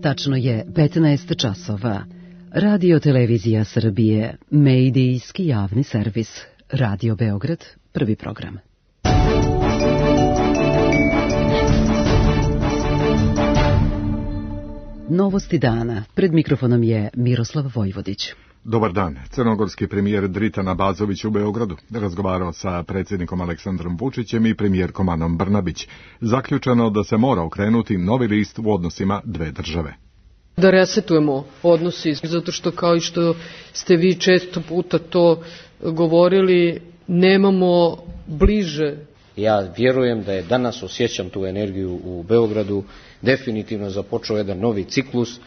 Tačno je 15 časova. Radio Televizija Srbije, medijski javni servis. Radio Beograd, prvi program. Novosti dana. Pred mikrofonom je Miroslav Vojvodić. Dobar dan. Crnogorski premijer Dritan Abazović u Beogradu razgovarao sa predsjednikom Aleksandrom Vučićem i premijerkom Anom Brnabić. Zaključeno da se mora okrenuti novi list u odnosima dve države. Da resetujemo odnosi, zato što kao i što ste vi često puta to govorili, nemamo bliže. Ja vjerujem da je danas, osjećam tu energiju u Beogradu, definitivno započeo jedan novi ciklus.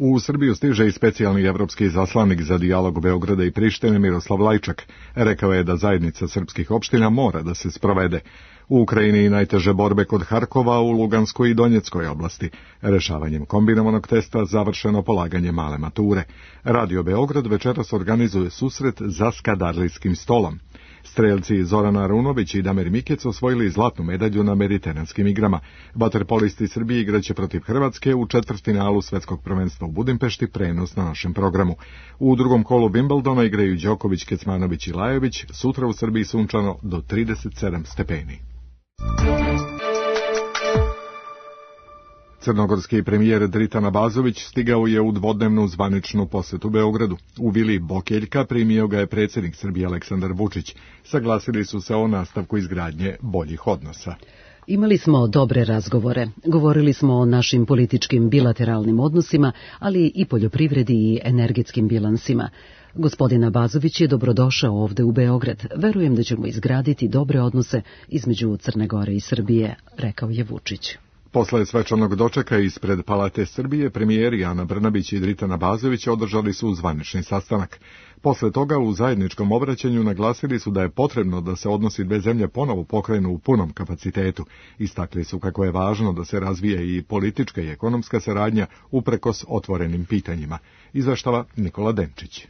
U Srbiju stiže i specijalni evropski izaslanik za dijalog Beograda i Prištine Miroslav Lajčak. Rekao je da zajednica srpskih opština mora da se sprovede. U Ukrajini najteže borbe kod Harkova, u Luganskoj i Donjeckoj oblasti. Rešavanjem kombinovanog testa završeno polaganje male mature. Radio Beograd večeras organizuje susret za skadarlijskim stolom. Strelci Zoran Arunović i Damir Mikec osvojili zlatnu medalju na Mediteranskim igrama. Vaterpolisti Srbije igraće protiv Hrvatske u četvrtfinalu Svetskog prvenstva u Budimpešti, prenos na našem programu. U drugom kolu Wimbledona igraju Đoković, Kecmanović i Lajović, sutra u Srbiji sunčano do 37 stepeni. Crnogorski premijer Dritan Abazović stigao je u dvodnevnu zvaničnu posetu Beogradu. U vili Bokeljka primio ga je predsjednik Srbije Aleksandar Vučić. Saglasili su se o nastavku izgradnje boljih odnosa. Imali smo dobre razgovore. Govorili smo o našim političkim bilateralnim odnosima, ali i poljoprivredi i energetskim bilansima. Gospodin Abazović je dobrodošao ovde u Beograd. Verujem da ćemo izgraditi dobre odnose između Crne Gore i Srbije, rekao je Vučić. Posle svečanog dočeka ispred Palate Srbije, premijeri Ana Brnabić i Dritan Abazović održali su zvanični sastanak. Posle toga u zajedničkom obraćanju naglasili su da je potrebno da se odnosi dve zemlje ponovo pokrenu u punom kapacitetu. Istakli su kako je važno da se razvije i politička i ekonomska saradnja uprkos otvorenim pitanjima. Izveštava Nikola Denčić.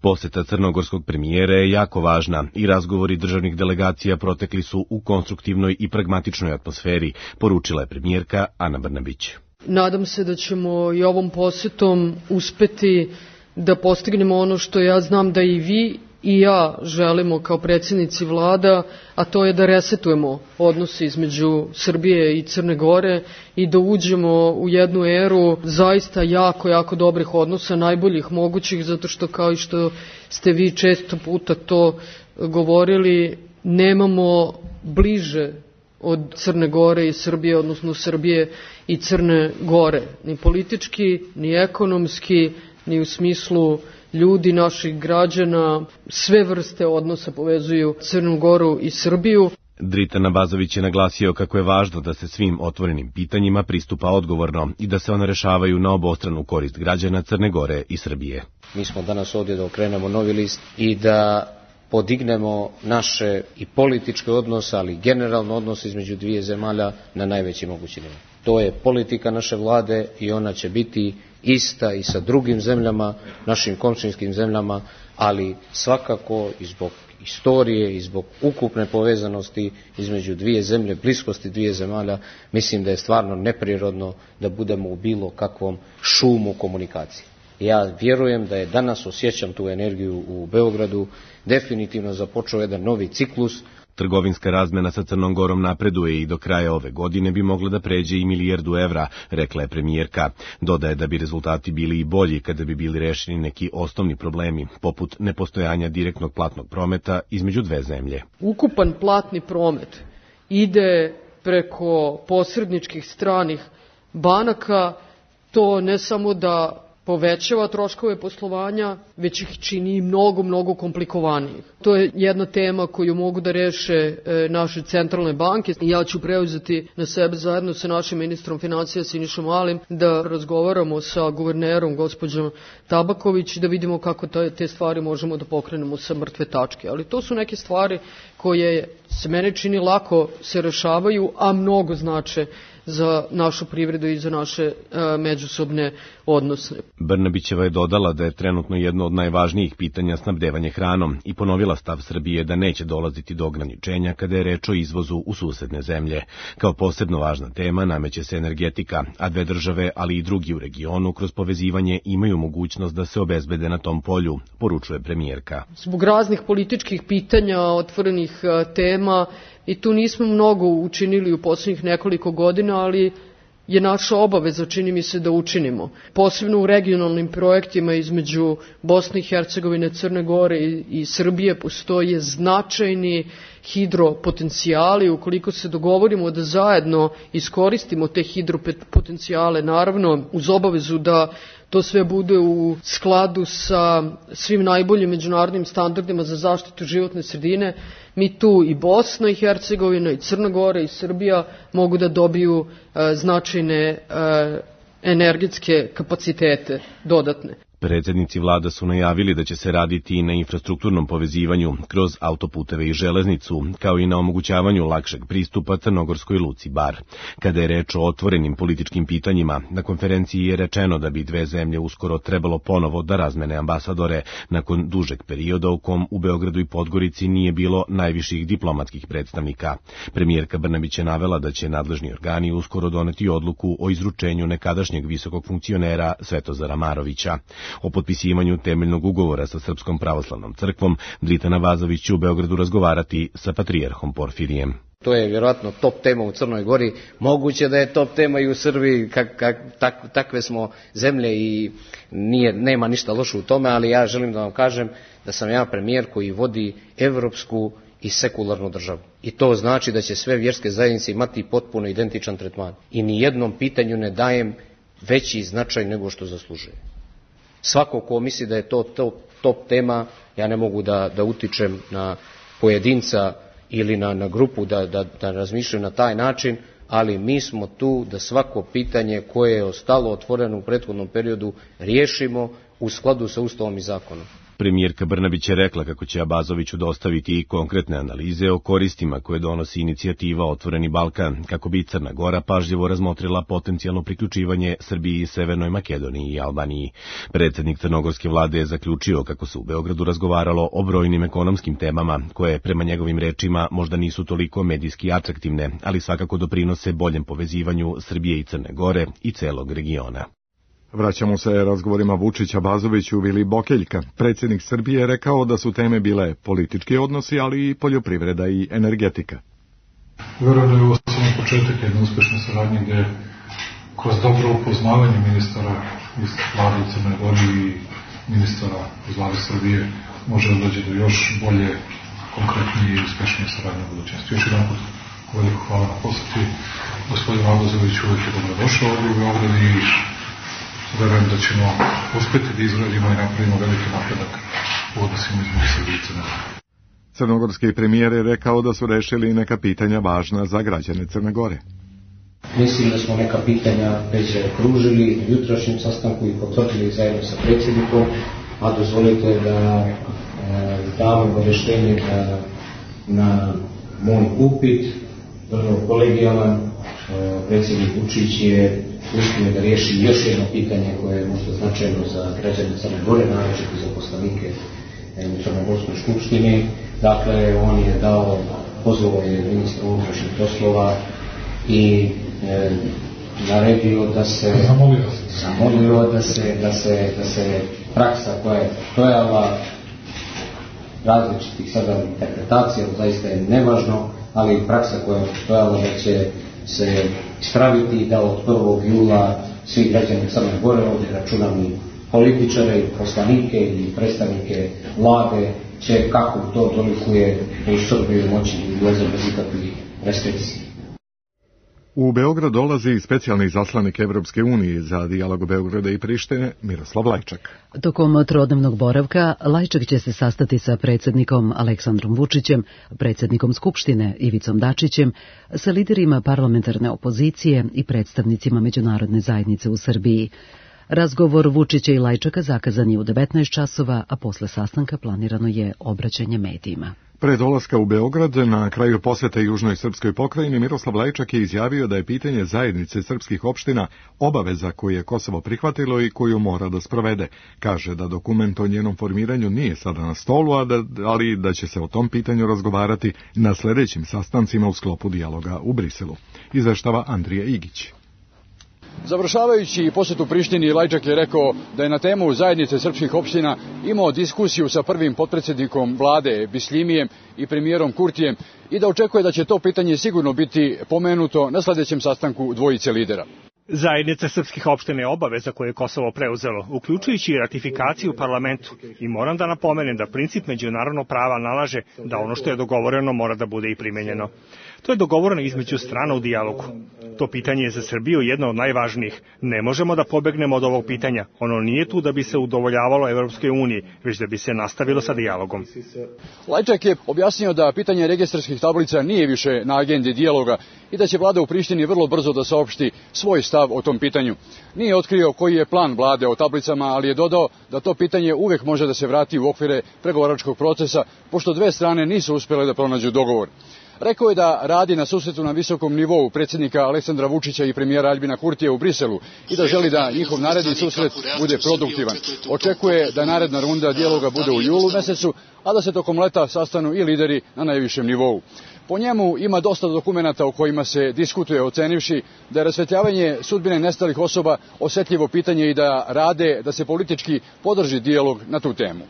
Poseta crnogorskog premijera je jako važna i razgovori državnih delegacija protekli su u konstruktivnoj i pragmatičnoj atmosferi, poručila je premijerka Ana Brnabić. Nadam se da ćemo i ovom posetom uspeti da postignemo ono što ja znam da i vi i ja želimo kao predsjednici vlada, a to je da resetujemo odnose između Srbije i Crne Gore i da uđemo u jednu eru zaista jako dobrih odnosa, najboljih mogućih, zato što kao i što ste vi često puta to govorili, nemamo bliže od Crne Gore i Srbije, odnosno Srbije i Crne Gore, ni politički, ni ekonomski, ni u smislu ljudi, naših građana. Sve vrste odnosa povezuju Crnu Goru i Srbiju. Dritan Abazović je naglasio kako je važno da se svim otvorenim pitanjima pristupa odgovorno i da se one rešavaju na obostranu korist građana Crne Gore i Srbije. Mi smo danas ovdje da okrenemo novi list i da podignemo naše i političke odnose, ali generalno odnose između dvije zemalja na najveći mogući nivo. To je politika naše vlade i ona će biti ista i sa drugim zemljama, našim komšinskim zemljama, ali svakako i zbog istorije i zbog ukupne povezanosti između dvije zemlje, bliskosti dvije zemalja, mislim da je stvarno neprirodno da budemo u bilo kakvom šumu komunikacije. Ja vjerujem da je danas, osjećam tu energiju u Beogradu, definitivno započeo jedan novi ciklus. Trgovinska razmena sa Crnom Gorom napreduje i do kraja ove godine bi mogla da pređe i 1 milijardu evra, rekla je premijerka. Dodaje da bi rezultati bili i bolji kada bi bili rešeni neki osnovni problemi, poput nepostojanja direktnog platnog prometa između dve zemlje. Ukupan platni promet ide preko posredničkih stranih banaka, to ne samo da povećava troškove poslovanja, već ih čini mnogo komplikovanijih. To je jedna tema koju mogu da reše naše centralne banke. Ja ću preuzeti na sebe zajedno sa našim ministrom financija Sinišom Malim da razgovaramo sa guvernerom gospođom Tabaković i da vidimo kako te stvari možemo da pokrenemo sa mrtve tačke. Ali to su neke stvari koje se mene čini lako se rešavaju, a mnogo znače za našu privredu i za naše međusobne odnose. Brnabićeva je dodala da je trenutno jedno od najvažnijih pitanja snabdevanje hranom i ponovila stav Srbije da neće dolaziti do ograničenja kada je reč o izvozu u susedne zemlje. Kao posebno važna tema nameće se energetika, a dve države, ali i drugi u regionu, kroz povezivanje imaju mogućnost da se obezbede na tom polju, poručuje premijerka. Zbog raznih političkih pitanja, otvorenih tema, i tu nismo mnogo učinili u poslednjih nekoliko godina, ali je naša obaveza, čini mi se, da učinimo. Posebno u regionalnim projektima između Bosne i Hercegovine, Crne Gore i Srbije postoje značajni hidropotencijali. Ukoliko se dogovorimo da zajedno iskoristimo te hidropotencijale, naravno uz obavezu da to sve bude u skladu sa svim najboljim međunarodnim standardima za zaštitu životne sredine, mi tu i Bosna i Hercegovina i Crna Gora i Srbija mogu da dobiju značajne energetske kapacitete dodatne. Predsednici vlada su najavili da će se raditi i na infrastrukturnom povezivanju kroz autoputeve i železnicu, kao i na omogućavanju lakšeg pristupa crnogorskoj luci Bar. Kada je reč o otvorenim političkim pitanjima, na konferenciji je rečeno da bi dve zemlje uskoro trebalo ponovo da razmene ambasadore, nakon dužeg perioda u kom u Beogradu i Podgorici nije bilo najviših diplomatskih predstavnika. Premijerka Brnabić je navela da će nadležni organi uskoro doneti odluku o izručenju nekadašnjeg visokog funkcionera Svetozara Marovića. O potpisivanju temeljnog ugovora sa Srpskom pravoslavnom crkvom Dritana Vazović će u Beogradu razgovarati sa patrijarhom Porfirijem. To je vjerojatno top tema u Crnoj Gori, moguće da je top tema i u Srbiji, takve smo zemlje i nema ništa loše u tome, ali ja želim da vam kažem da sam ja premijer koji vodi evropsku i sekularnu državu. I to znači da će sve vjerske zajednice imati potpuno identičan tretman. I ni jednom pitanju ne dajem veći značaj nego što zaslužuje. Svako ko misli da je to top tema, ja ne mogu da utičem na pojedinca ili na grupu da razmišljaju na taj način, ali mi smo tu da svako pitanje koje je ostalo otvoreno u prethodnom periodu riješimo u skladu sa Ustavom i zakonom. Premijerka Brnabić je rekla kako će Abazoviću dostaviti i konkretne analize o koristima koje donosi inicijativa Otvoreni Balkan, kako bi Crna Gora pažljivo razmotrila potencijalno priključivanje Srbiji, Severnoj Makedoniji i Albaniji. Predsednik crnogorske vlade je zaključio kako se u Beogradu razgovaralo o brojnim ekonomskim temama, koje prema njegovim rečima možda nisu toliko medijski atraktivne, ali svakako doprinose boljem povezivanju Srbije i Crne Gore i celog regiona. Vraćamo se razgovorima Vučića-Bazoviću. Vili Bokeljka, predsjednik Srbije, je rekao da su teme bile politički odnosi, ali i poljoprivreda i energetika. Verujem da je ovo samo početak jedne uspešne saradnje gde kroz dobro upoznavanje ministara iz vlade u Crnoj Gori i ministara iz vlade Srbije može da dođe do još bolje, konkretnije i uspešnije saradnje u budućnosti. Još jedan put veliko hvala na poseti. Gospodin Abazović uvek je dobrodošao ovdje u Beograd i verujem da ćemo uspeti da izradimo i napravimo veliki napredak u odnosima između Srbije i Crne Gore. Crnogorski premijer je rekao da su rešili neka pitanja važna za građane Crne Gore. Mislim da smo neka pitanja već kružili u jutrašnjem sastanku i potvrdili zajedno sa predsjednikom, a dozvolite da dam obaveštenje na moj upit, vrlo kolegijalan. Predsjednik Vučić je uspio da riješi još jedno pitanje koje je možda značajno za građane Crne Gore, naročito za poslanike u Crnogorskoj skupštini. Dakle, on je dao, pozvao je ministra unutrašnjih poslova i naredio da se zamolio da se praksa koja je postojala različitih sada interpretacija, zaista je nevažno, ali praksa koja je postojala da će se ispraviti da od 1. jula svi građani Crne Gore, ovdje računam i političare, i poslanike, i predstavnike vlade, će kako to dolikuje u Srbiju moći i ulaziti bez ikakvih restrikcija. U Beograd dolazi specijalni zaslanik Evropske unije za dijalog Beograda i Prištine, Miroslav Lajčak. Tokom trodnevnog boravka Lajčak će se sastati sa predsjednikom Aleksandrom Vučićem, predsjednikom Skupštine Ivicom Dačićem, sa liderima parlamentarne opozicije i predstavnicima međunarodne zajednice u Srbiji. Razgovor Vučića i Lajčaka zakazan je u 19 časova, a posle sastanka planirano je obraćanje medijima. Pre dolaska u Beograd, na kraju posete Južnoj srpskoj pokrajini, Miroslav Lajčak je izjavio da je pitanje zajednice srpskih opština obaveza koju je Kosovo prihvatilo i koju mora da sprovede. Kaže da dokument o njenom formiranju nije sada na stolu, ali da će se o tom pitanju razgovarati na sljedećim sastancima u sklopu dijaloga u Briselu. Izveštava Andrija Igić. Završavajući posjetu Prištini, Lajčak je rekao da je na temu zajednice srpskih opština imao diskusiju sa prvim potpredsjednikom vlade Bislimijem i premijerom Kurtijem i da očekuje da će to pitanje sigurno biti pomenuto na sljedećem sastanku dvojice lidera. Zajednica srpskih opština je obaveza koju je Kosovo preuzelo, uključujući i ratifikaciju u parlamentu. I moram da napomenem da princip međunarodnog prava nalaže da ono što je dogovoreno mora da bude i primenjeno. To je dogovoreno između strana u dijalogu. To pitanje je za Srbiju jedno od najvažnijih. Ne možemo da pobegnemo od ovog pitanja. Ono nije tu da bi se udovoljavalo Evropskoj uniji, već da bi se nastavilo sa dijalogom. Lajčak je objasnio da pitanje registarskih tablica nije više na agendi dijaloga i da će vlada u Prištini vrlo brzo da saopšti svoj stav o tom pitanju. Nije otkrio koji je plan vlade o tablicama, ali je dodao da to pitanje uvek može da se vrati u okvire pregovaračkog procesa, pošto dve strane nisu uspjele da pronađu dogovor. Rekao je da radi na susretu na visokom nivou predsjednika Aleksandra Vučića i premijera Aljbina Kurtija u Briselu i da želi da njihov naredni susret bude produktivan. Očekuje da naredna runda dijaloga bude u julu mesecu, a da se tokom leta sastanu i lideri na najvišem nivou. Po njemu ima dosta dokumenata o kojima se diskutuje, ocenivši da je rasvetljavanje sudbine nestalih osoba osjetljivo pitanje i da rade da se politički podrži dijalog na tu temu.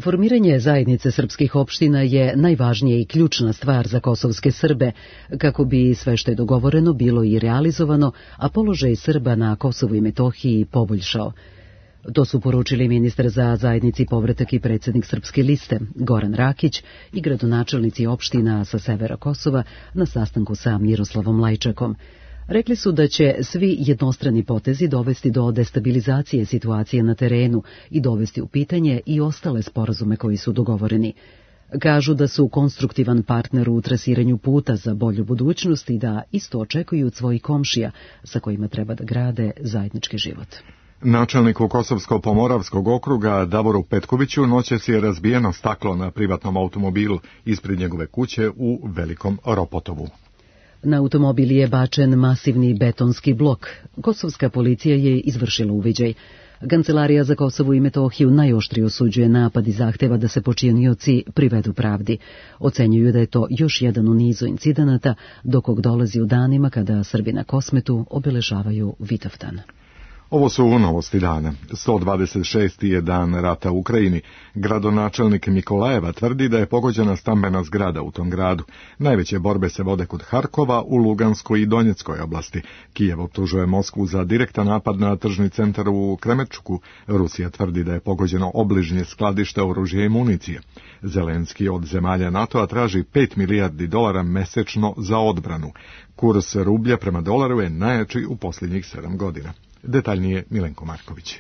Formiranje zajednice srpskih opština je najvažnija i ključna stvar za kosovske Srbe, kako bi sve što je dogovoreno bilo i realizovano, a položaj Srba na Kosovu i Metohiji poboljšao. To su poručili ministar za zajednici povratak i predsjednik Srpske liste Goran Rakić i gradonačelnici opština sa severa Kosova na sastanku sa Miroslavom Lajčakom. Rekli su da će svi jednostrani potezi dovesti do destabilizacije situacije na terenu i dovesti u pitanje i ostale sporazume koji su dogovoreni. Kažu da su konstruktivan partner u trasiranju puta za bolju budućnost i da isto očekuju od svojih komšija sa kojima treba da grade zajednički život. Načelniku Kosovsko-Pomoravskog okruga Davoru Petkoviću noćas je razbijeno staklo na privatnom automobilu ispred njegove kuće u Velikom Ropotovu. Na automobil je bačen masivni betonski blok. Kosovska policija je izvršila uviđaj. Kancelarija za Kosovo i Metohiju najoštrije osuđuje napad i zahteva da se počinioci privedu pravdi. Ocenjuju da je to još jedan u nizu incidenata, do kog dolazi u danima kada Srbi na Kosmetu obeležavaju Vitavdan. Ovo su novosti dana. 126. je dan rata u Ukrajini. Gradonačelnik Mikolajeva tvrdi da je pogođena stambena zgrada u tom gradu. Najveće borbe se vode kod Harkova, u Luganskoj i Donjeckoj oblasti. Kijev optužuje Moskvu za direktan napad na tržni centar u Kremenčuku. Rusija tvrdi da je pogođeno obližnje skladište oružja i municije. Zelenski od zemalja NATO-a traži $5 milijardi mesečno za odbranu. Kurs rublja prema dolaru je najjači u posljednjih 7 godina. Detaljnije Milenko Marković.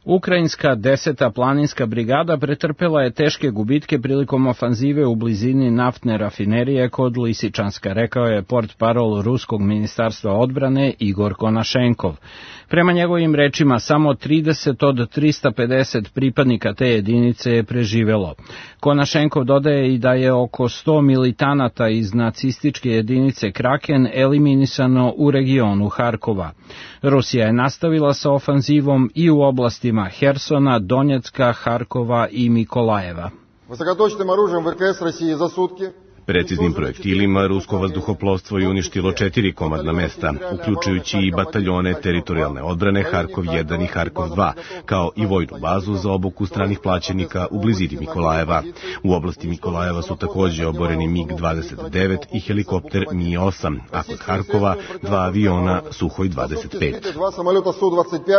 Ukrajinska 10. planinska brigada pretrpela je teške gubitke prilikom ofanzive u blizini naftne rafinerije kod Lisičanska, rekao je portparol Ruskog ministarstva odbrane Igor Konašenkov. Prema njegovim rečima, samo 30 od 350 pripadnika te jedinice je preživelo. Konašenkov dodaje i da je oko 100 militanata iz nacističke jedinice Kraken eliminisano u regionu Harkova. Rusija je nastavila sa ofanzivom i u oblastima Hersona, Donjecka, Harkova i Mikolajeva. Preciznim projektilima rusko vazduhoplovstvo je uništilo 4 komadna mesta, uključujući i bataljone teritorijalne odbrane Harkov 1 i Harkov 2, kao i vojnu bazu za obuku stranih plaćenika u blizini Mikolajeva. U oblasti Mikolajeva su također oboreni MiG-29 i helikopter Mi-8, a kod Harkova 2 aviona Suhoj 25.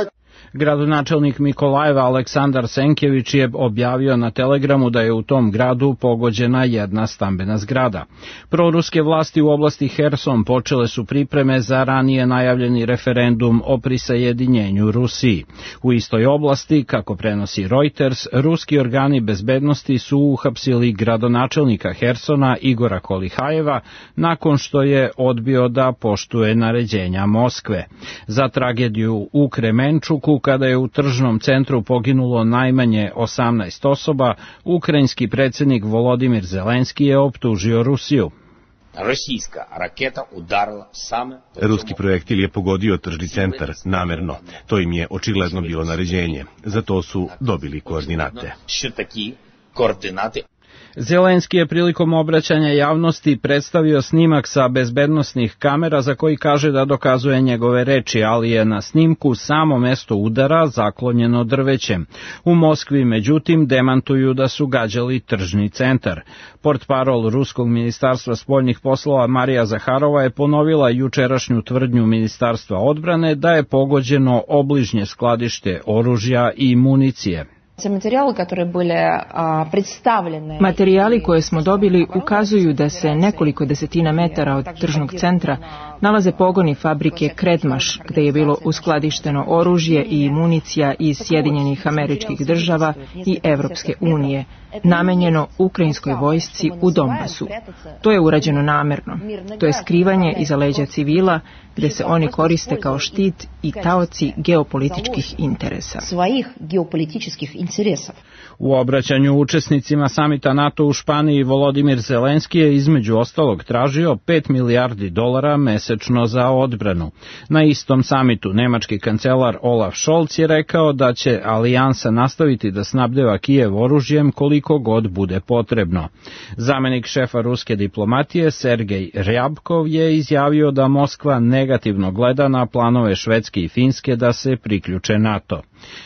Gradonačelnik Mikolajeva Aleksandar Senkević je objavio na Telegramu da je u tom gradu pogođena jedna stambena zgrada. Proruske vlasti u oblasti Herson počele su pripreme za ranije najavljeni referendum o prisajedinjenju Rusiji. U istoj oblasti, kako prenosi Reuters, ruski organi bezbednosti su uhapsili gradonačelnika Hersona Igora Kolihajeva nakon što je odbio da poštuje naređenja Moskve. Za tragediju u Kremenčuku, kada je u tržnom centru poginulo najmanje 18 osoba, ukrajinski predsjednik Volodimir Zelenski je optužio Rusiju. Ruski projektil je pogodio tržni centar namerno. To im je očigledno bilo naređenje. Za to su dobili koordinate. Zelenski je prilikom obraćanja javnosti predstavio snimak sa bezbednosnih kamera za koji kaže da dokazuje njegove reči, ali je na snimku samo mesto udara zaklonjeno drvećem. U Moskvi, međutim, demantuju da su gađali tržni centar. Portparol Ruskog ministarstva spoljnih poslova Marija Zaharova je ponovila jučerašnju tvrdnju Ministarstva odbrane da je pogođeno obližnje skladište oružja i municije. Materijali koje smo dobili ukazuju da se nekoliko desetina metara od tržnog centra nalaze pogoni fabrike Kredmaš, gde je bilo uskladišteno oružje i municija iz Sjedinjenih Američkih Država i Evropske unije, namenjeno ukrajinskoj vojsci u Donbasu. To je urađeno namerno. To je skrivanje iza leđa civila, gde se oni koriste kao štit i taoci geopolitičkih interesa. U obraćanju učesnicima samita NATO u Španiji Volodimir Zelenski je između ostalog tražio $5 milijardi mesečno za odbranu. Na istom samitu nemački kancelar Olaf Scholz je rekao da će alijansa nastaviti da snabdeva Kijev oružjem koliko god bude potrebno. Zamenik šefa ruske diplomatije Sergej Rjabkov je izjavio da Moskva negativno gleda na planove Švedske i Finske da se priključe NATO.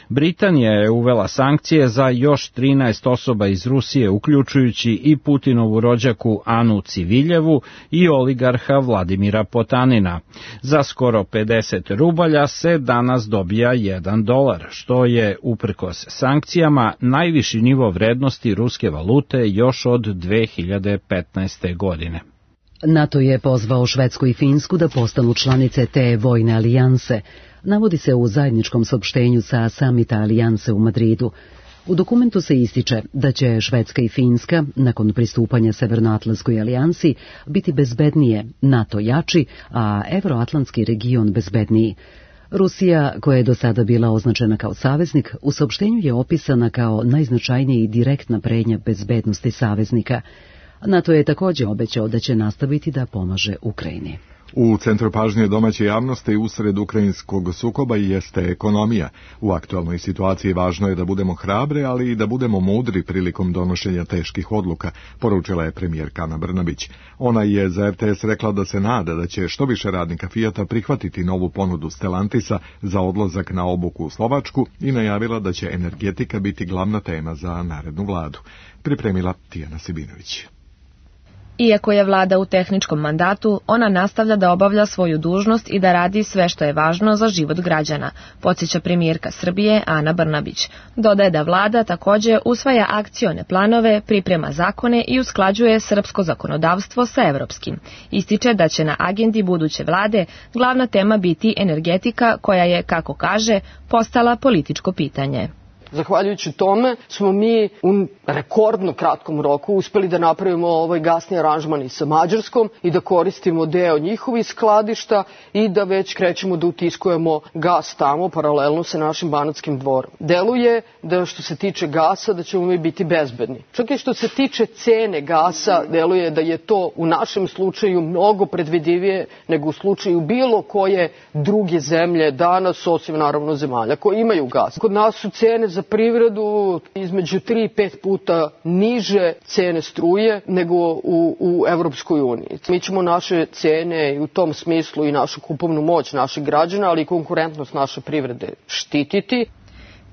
Britanija je uvela sankcije za još 13 osoba iz Rusije, uključujući i Putinovu rođaku Anu Civiljevu i oligarha Vladimira Potanina. Za skoro 50 rubalja se danas dobija $1, što je, uprkos sankcijama, najviši nivo vrednosti ruske valute još od 2015. godine. NATO je pozvao Švedsku i Finsku da postanu članice te vojne alijanse. Navodi se u zajedničkom saopštenju sa samita alijanse u Madridu. U dokumentu se ističe da će Švedska i Finska, nakon pristupanja Severnoatlantskoj alijansi, biti bezbednije, NATO jači, a Evroatlantski region bezbedniji. Rusija, koja je do sada bila označena kao saveznik, u saopštenju je opisana kao najznačajnija i direktna pretnja bezbednosti saveznika. NATO je također obećao da će nastaviti da pomaže Ukrajini. U centru pažnje domaće javnosti usred ukrajinskog sukoba jeste ekonomija. U aktualnoj situaciji važno je da budemo hrabri, ali i da budemo mudri prilikom donošenja teških odluka, poručila je premijerka Ana Brnabić. Ona je za RTS rekla da se nada da će što više radnika Fijata prihvatiti novu ponudu Stellantisa za odlazak na obuku u Slovačku i najavila da će energetika biti glavna tema za narednu vladu. Pripremila Tijana Sibinović. Iako je vlada u tehničkom mandatu, ona nastavlja da obavlja svoju dužnost i da radi sve što je važno za život građana, podsjeća premijerka Srbije Ana Brnabić. Dodaje da vlada također usvaja akcione planove, priprema zakone i usklađuje srpsko zakonodavstvo sa evropskim. Ističe da će na agendi buduće vlade glavna tema biti energetika, koja je, kako kaže, postala političko pitanje. Zahvaljujući tome smo mi u rekordno kratkom roku uspeli da napravimo ovaj gasni aranžman i sa Mađarskom i da koristimo deo njihovih skladišta i da već krećemo da utiskujemo gas tamo paralelno sa našim Banatskim dvorom. Deluje da što se tiče gasa da ćemo mi biti bezbedni. Čak i što se tiče cene gasa deluje da je to u našem slučaju mnogo predvidivije nego u slučaju bilo koje druge zemlje danas, osim naravno zemalja koje imaju gas. Kod nas su cene za privredu između 3 i 5 puta niže cene struje nego u Evropskoj uniji. Mi ćemo naše cene i u tom smislu i našu kupovnu moć naših građana, ali i konkurentnost naše privrede štititi.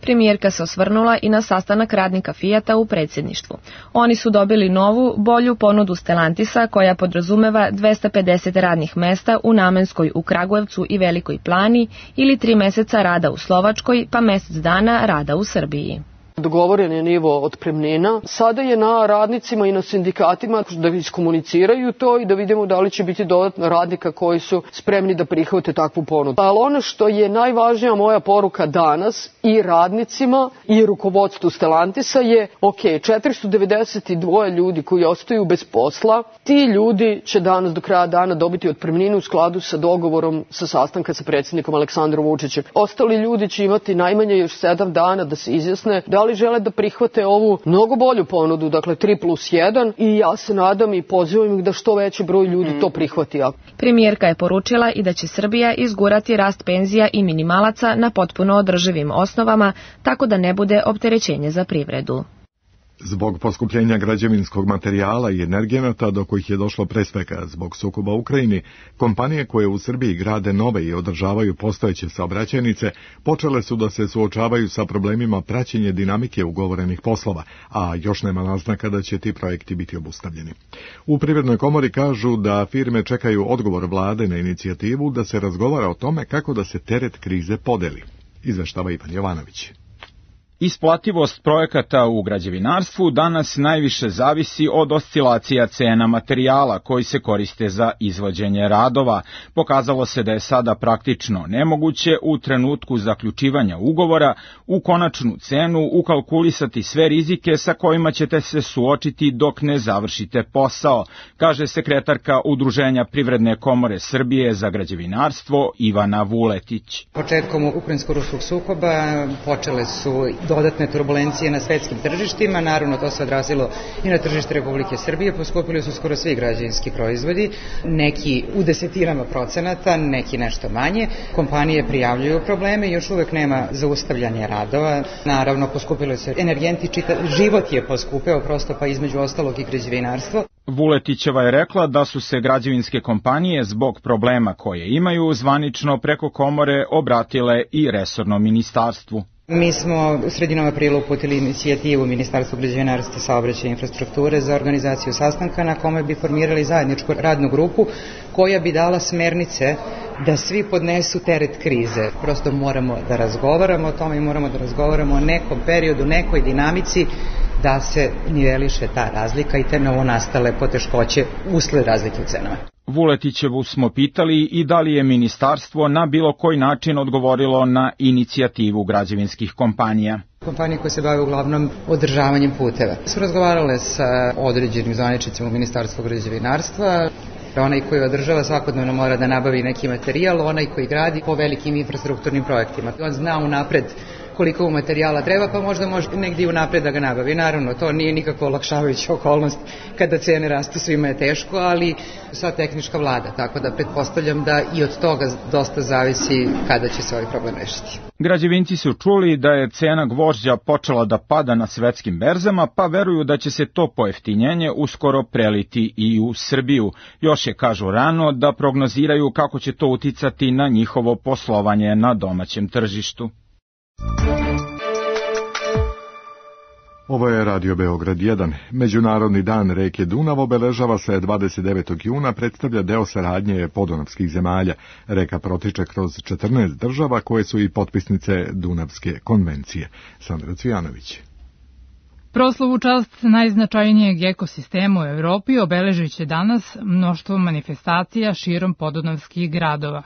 Premijerka se osvrnula i na sastanak radnika Fijata u predsjedništvu. Oni su dobili novu, bolju ponudu Stellantisa koja podrazumeva 250 radnih mesta u Namenskoj u Kragujevcu i Velikoj Plani ili 3 meseca rada u Slovačkoj pa mjesec dana rada u Srbiji. Dogovoren je nivo otpremnina. Sada je na radnicima i na sindikatima da iskomuniciraju to i da vidimo da li će biti dodatno radnika koji su spremni da prihvate takvu ponudu. Ali ono što je najvažnija moja poruka danas i radnicima i rukovodstvu Stellantisa je 492 ljudi koji ostaju bez posla, ti ljudi će danas do kraja dana dobiti otpremninu u skladu sa dogovorom sa sastanka sa predsjednikom Aleksandrom Vučićem. Ostali ljudi će imati najmanje još 7 dana da se izjasne da li žele da prihvate ovu mnogo bolju ponudu, dakle 3+1, i ja se nadam i pozivam ih da što veći broj ljudi to prihvati. Premijerka je poručila i da će Srbija izgurati rast penzija i minimalaca na potpuno održivim osnovama, tako da ne bude opterećenje za privredu. Zbog poskupljenja građevinskog materijala i energenata do kojih je došlo pre svega zbog sukoba u Ukrajini, kompanije koje u Srbiji grade nove i održavaju postojeće saobraćajnice počele su da se suočavaju sa problemima praćenja dinamike ugovorenih poslova, a još nema naznaka da će ti projekti biti obustavljeni. U Privrednoj komori kažu da firme čekaju odgovor vlade na inicijativu da se razgovara o tome kako da se teret krize podeli. Izveštava Ivan Jovanović. Isplativost projekata u građevinarstvu danas najviše zavisi od oscilacija cena materijala koji se koriste za izvođenje radova. Pokazalo se da je sada praktično nemoguće u trenutku zaključivanja ugovora u konačnu cenu ukalkulisati sve rizike sa kojima ćete se suočiti dok ne završite posao, kaže sekretarka Udruženja Privredne komore Srbije za građevinarstvo Ivana Vuletić. Početkom ukrajinsko-ruskog sukoba počele su dodatne turbulencije na svetskim tržištima, naravno to se odrazilo i na tržište Republike Srbije, poskupili su skoro svi građevinski proizvodi, neki u desetinama procenata, neki nešto manje. Kompanije prijavljuju probleme, još uvek nema zaustavljanja radova, naravno poskupili su energenti, život je poskupeo prosto, pa između ostalog i građevinarstvo. Vuletićeva je rekla da su se građevinske kompanije zbog problema koje imaju zvanično preko komore obratile i resornom ministarstvu. Mi smo u sredinom aprila uputili inicijativu Ministarstva građevinarstva, saobraćaja i infrastrukture za organizaciju sastanka na kome bi formirali zajedničku radnu grupu koja bi dala smernice da svi podnesu teret krize. Prosto moramo da razgovaramo o tome i moramo da razgovaramo o nekom periodu, nekoj dinamici da se niveliše ta razlika i te novonastale poteškoće usled razlike u cenama. Vuletićevu smo pitali i da li je ministarstvo na bilo koji način odgovorilo na inicijativu građevinskih kompanija. Kompanije koje se bave uglavnom održavanjem puteva su razgovarale sa određenim zvaničnicima u Ministarstvu građevinarstva. Onaj koji održava svakodnevno mora da nabavi neki materijal, onaj koji gradi po velikim infrastrukturnim projektima. On zna unapred koliko mu materijala treba, pa možda može negdje unapred da ga nabavi. Naravno, to nije nikako olakšavajuća okolnost kada cene rastu, svima je teško, ali sva tehnička vlada, tako da pretpostavljam da i od toga dosta zavisi kada će se ovaj problem rešiti. Građevinci su čuli da je cena gvožđa počela da pada na svetskim berzama, pa veruju da će se to pojeftinjenje uskoro preliti i u Srbiju. Još je, kažu, rano da prognoziraju kako će to uticati na njihovo poslovanje na domaćem tržištu. Ovo je Radio Beograd 1. Međunarodni dan reke Dunav obeležava se 29. juna, predstavlja deo saradnje podunavskih zemalja. Reka protiče kroz 14 država koje su i potpisnice Dunavske konvencije. Sandra Cvijanović. Proslavu čast najznačajnijeg ekosistema u Evropi obeležit će danas mnoštvo manifestacija širom podunavskih gradova.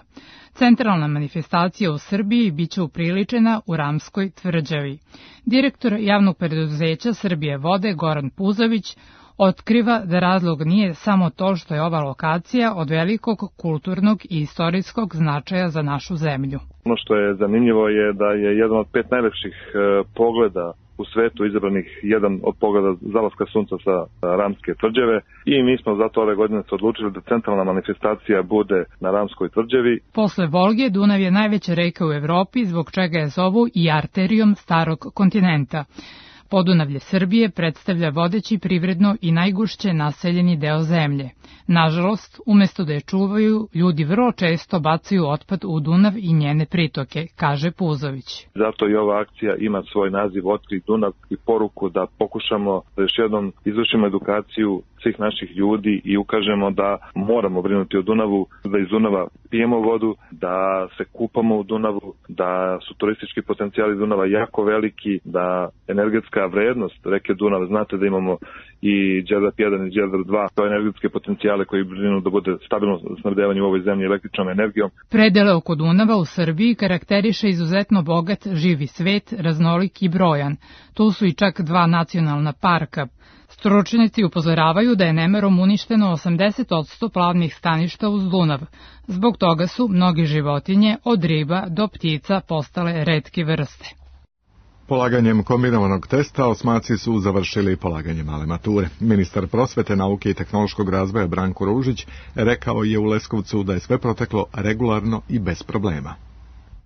Centralna manifestacija u Srbiji biće upriličena u Ramskoj tvrđavi. Direktor javnog preduzeća Srbije vode Goran Puzović otkriva da razlog nije samo to što je ova lokacija od velikog kulturnog i istorijskog značaja za našu zemlju. Ono što je zanimljivo je da je jedan od 5 najlepših pogleda u svetu izabranih jedan od pogleda zalaska sunca sa Ramske tvrđave i mi smo zato ove godine se odlučili da centralna manifestacija bude na Ramskoj tvrđavi. Posle Volge, Dunav je najveća reka u Evropi, zbog čega je zovu i arterijom starog kontinenta. Podunavlje Srbije predstavlja vodeći privredno i najgušće naseljeni deo zemlje. Nažalost, umesto da je čuvaju, ljudi vrlo često bacaju otpad u Dunav i njene pritoke, kaže Puzović. Zato i ova akcija ima svoj naziv Otkri Dunav i poruku da pokušamo da još jednom izvršimo edukaciju svih naših ljudi i ukažemo da moramo brinuti o Dunavu, da iz Dunava pijemo vodu, da se kupamo u Dunavu, da su turistički potencijali Dunava jako veliki, da energetska vrednost reke Dunav, znate da imamo i Đerdap 1 i Đerdap 2, to energetske potencijale koji brinu da bude stabilno snabdevanje u ovoj zemlji električnom energijom. Predele oko Dunava u Srbiji karakteriše izuzetno bogat živi svet, raznolik i brojan. Tu su i čak 2 nacionalna parka. Stručnjaci upozoravaju da je nemerom uništeno 80% plavnih staništa uz Dunav. Zbog toga su mnoge životinje, od riba do ptica, postale retke vrste. Polaganjem kombinovanog testa osmaci su završili polaganje male mature. Ministar prosvete, nauke i tehnološkog razvoja Branko Ružić rekao je u Leskovcu da je sve proteklo regularno i bez problema.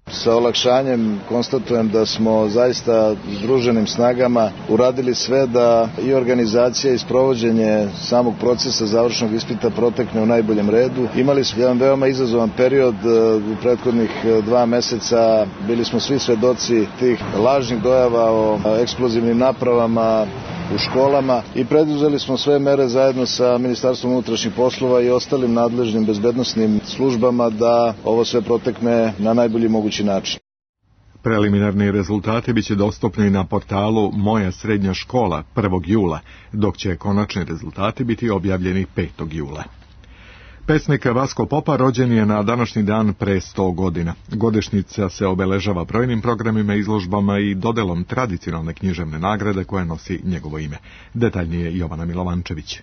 Sa olakšanjem konstatujem da smo zaista združenim snagama uradili sve da i organizacija i sprovođenje samog procesa završnog ispita protekne u najboljem redu. Imali smo jedan veoma izazovan period u prethodnih 2 meseca. Bili smo svi svedoci tih lažnih dojava o eksplozivnim napravama u školama i preduzeli smo sve mere zajedno sa Ministarstvom unutrašnjih poslova i ostalim nadležnim bezbednosnim službama da ovo sve protekne na najbolji mogući način. Preliminarni rezultati biće dostupni na portalu Moja srednja škola 1. jula, dok će konačni rezultati biti objavljeni 5. jula. Pesnik Vasko Popa rođen je na današnji dan pre 100 godina. Godišnjica se obeležava brojnim programima, izložbama i dodelom tradicionalne književne nagrade koja nosi njegovo ime. Detaljnije Jovana Milovančević.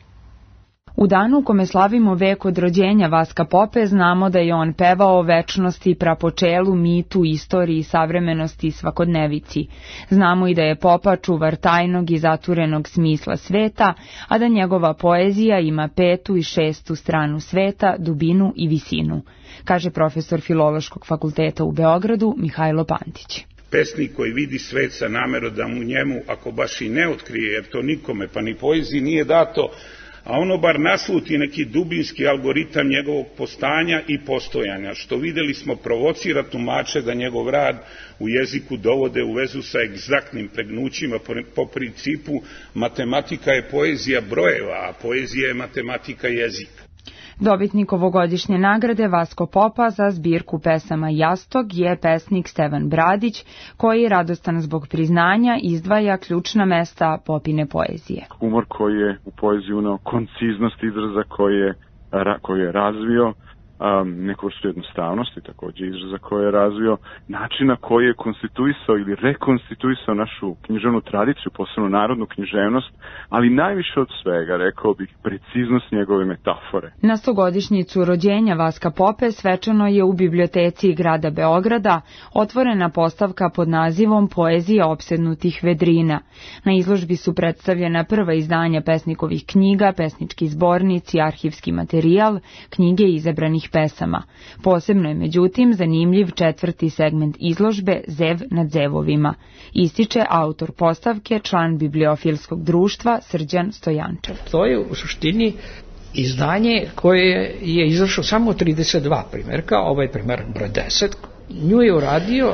U danu u kome slavimo vek od rođenja Vaska Pope, znamo da je on pevao o večnosti, prapočelu, mitu, istoriji, savremenosti i svakodnevici. Znamo i da je Popa čuvar tajnog i zaturenog smisla sveta, a da njegova poezija ima 5. i 6. stranu sveta, dubinu i visinu, kaže profesor Filološkog fakulteta u Beogradu Mihajlo Pantić. Pesnik koji vidi svet sa namerom da mu njemu, ako baš i ne otkrije, jer to nikome pa ni poeziji nije dato, a ono bar nasluti neki dubinski algoritam njegovog postanja i postojanja, što videli smo provocira tumače da njegov rad u jeziku dovode u vezu sa egzaktnim pregnućima po principu matematika je poezija brojeva, a poezija je matematika jezika. Dobitnik ovogodišnje nagrade Vasko Popa za zbirku pesama Jastog je pesnik Stevan Bradić, koji radostan zbog priznanja izdvaja ključna mesta Popine poezije. Humor koji je u poeziji uneo, konciznost izraza koji je razvio, neku vrstu jednostavnosti također izraza koje je razvio, načina koji je konstituisao ili rekonstituisao našu književnu tradiciju, posebno narodnu književnost, ali najviše od svega, rekao bih, preciznost njegove metafore. Na 100-godišnjicu rođenja Vaska Pope svečano je u biblioteci grada Beograda otvorena postavka pod nazivom Poezija opsednutih vedrina. Na izložbi su predstavljena prva izdanja pesnikovih knjiga, pesnički zbornici, arhivski materijal, knjige izabranih pesama. Posebno je međutim zanimljiv 4. segment izložbe Zev nad zevovima. Ističe autor postavke, član bibliofilskog društva Srđan Stojančev. To je u suštini izdanje koje je izašlo samo 32 primjerka, ovaj primjer broj 10. Nju je uradio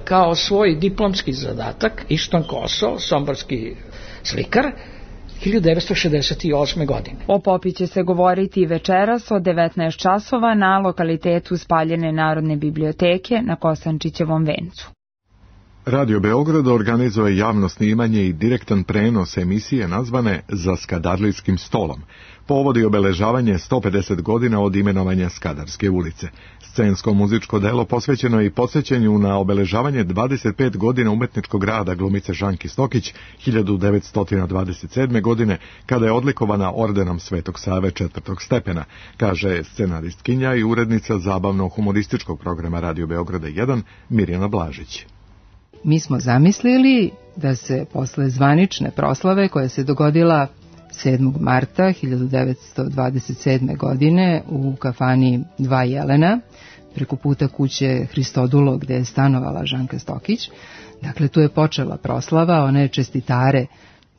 kao svoj diplomski zadatak Išton Koso, somborski slikar, 1968. godine. O Popi će se govoriti večeras od 19 časova na lokalitetu Spaljene Narodne biblioteke na Kosančićevom vencu. Radio Beograd organizuje javno snimanje i direktan prenos emisije nazvane Za Skadarlijskim stolom. Povodi obeležavanje 150 godina od imenovanja Skadarske ulice. Scensko muzičko delo posvećeno je i podsjećanju na obeležavanje 25 godina umetničkog rada glumice Žanki Stokić 1927. godine, kada je odlikovana ordenom Svetog Save 4. stepena, kaže scenaristkinja i urednica zabavno-humorističkog programa Radio Beograda 1 Mirjana Blažić. Mi smo zamislili da se posle zvanične proslave koja se dogodila 7. marta 1927. godine u kafani Dva Jelena, preko puta kuće Hristodulo gde je stanovala Žanka Stokić, Dakle, tu je počela proslava, ona je čestitare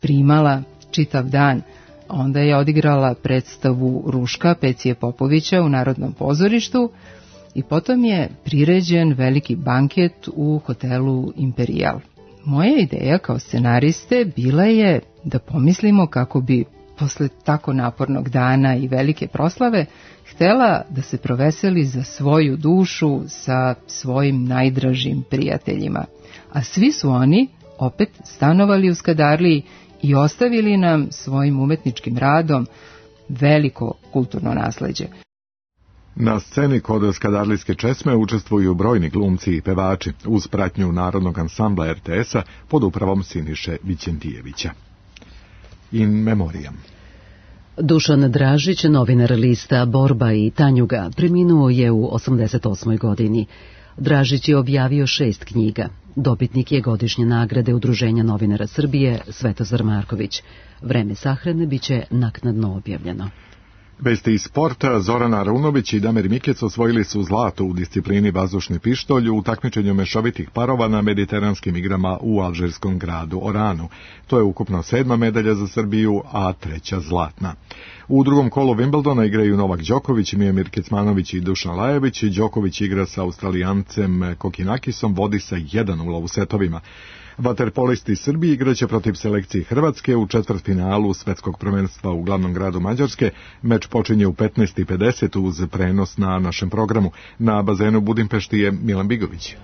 primala čitav dan. Onda je odigrala predstavu Ruška Pecije Popovića u Narodnom pozorištu i potom je priređen veliki banket u hotelu Imperial. Moja ideja kao scenariste bila je da pomislimo kako bi posle tako napornog dana i velike proslave htela da se proveseli za svoju dušu sa svojim najdražim prijateljima. A svi su oni opet stanovali u Skadarliji i ostavili nam svojim umetničkim radom veliko kulturno nasleđe. Na sceni kod Skadarlijske česme učestvuju brojni glumci i pevači uz pratnju Narodnog ansambla RTS-a pod upravom Siniše Vićentijevića. In memoriam. Dušan Dražić, novinar lista Borba i Tanjuga, preminuo je u 88. godini. Dražić je objavio 6 knjiga. Dobitnik je godišnje nagrade Udruženja novinara Srbije Svetozar Marković. Vreme sahrane biće naknadno objavljeno. Vesti iz sporta, Zoran Arunović i Damir Mikec osvojili su zlato u disciplini vazdušni pištolj u takmičenju mešovitih parova na mediteranskim igrama u alžirskom gradu Oranu. To je ukupno 7. medalja za Srbiju, a 3. zlatna. U drugom kolu Wimbledona igraju Novak Đoković, Mijomir Kecmanović i Dušan Lajović. Đoković igra sa Australijancem Kokinakisom, vodi sa 1:0 u setovima. Vaterpolisti Srbije igraće protiv selekcije Hrvatske u četvrtfinalu svetskog prvenstva u glavnom gradu Mađarske. Meč počinje u 15:50 uz prenos na našem programu. Na bazenu Budimpešti je Milan Bigović.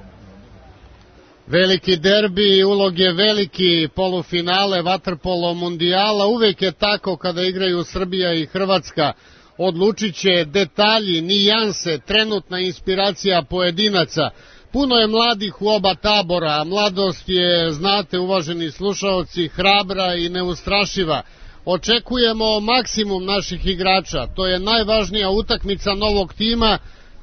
Veliki derbi, ulog je veliki, polufinale vaterpolo mundijala, uvek je tako kada igraju Srbija i Hrvatska. Odlučit će detalji, nijanse, trenutna inspiracija pojedinaca. Puno je mladih u oba tabora, mladost je, znate uvaženi slušaoci, hrabra i neustrašiva. Očekujemo maksimum naših igrača, to je najvažnija utakmica novog tima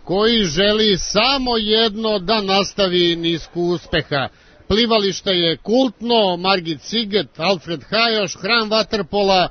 koji želi samo jedno da nastavi nisku uspeha. Plivalište je kultno, Margit Siget, Alfred Hajoš, hram vaterpola,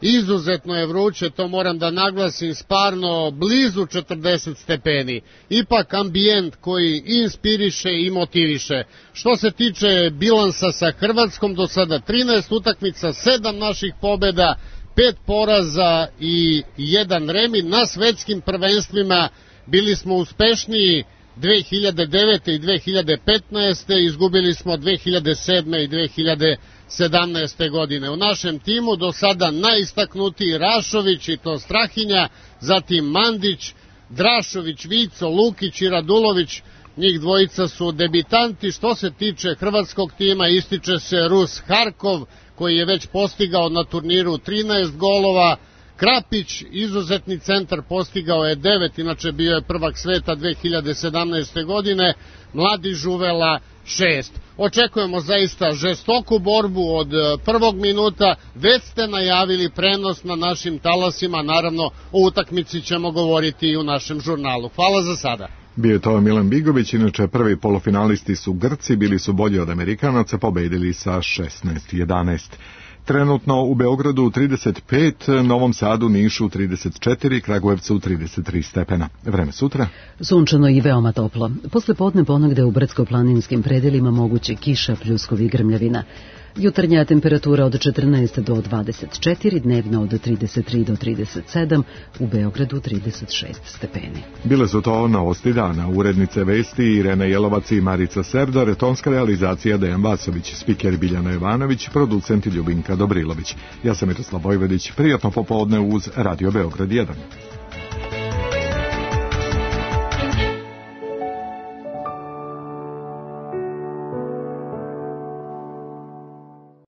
izuzetno je vruće, to moram da naglasim, sparno blizu 40 stepeni. Ipak ambijent koji inspiriše i motiviše. Što se tiče bilansa sa Hrvatskom, do sada 13 utakmica, 7 naših pobjeda, 5 poraza i 1 remi. Na svetskim prvenstvima bili smo uspešniji 2009. i 2015. Izgubili smo 2007. i 2017. godine. U našem timu do sada najistaknutiji Rašović i to Strahinja, zatim Mandić, Drašović, Vico, Lukić i Radulović. Njih dvojica su debitanti. Što se tiče hrvatskog tima, ističe se Rus Harkov, koji je već postigao na turniru 13 golova. Krapić, izuzetni centar, postigao je 9, inače bio je prvak sveta 2017. godine, mladi Žuvela 6. Očekujemo zaista žestoku borbu od prvog minuta, već ste najavili prenos na našim talasima, naravno o utakmici ćemo govoriti i u našem žurnalu. Hvala za sada. Bio je to Milan Bigović, inače prvi polufinalisti su Grci, bili su bolji od Amerikanaca, pobedili sa 16-11. Trenutno u Beogradu 35, Novom Sadu, Nišu 34, Kragujevcu 33 stepena. Vreme sutra? Sunčano i veoma toplo. Posle podne ponegde u brdsko-planinskim predelima moguće kiša, pljuskovi i grmljavina. Jutarnja temperatura od 14 do 24, dnevna od 33 do 37, u Beogradu 36 stepeni. Bile su to novosti dana. Urednice vesti Irena Jelovac i Marica Serdar, tonska realizacija Dejan Vasović, spiker Biljana Jovanović, producent Ljubinka Dobrilović. Ja sam Miroslav Vojvodić, prijatno popodne uz Radio Beograd 1.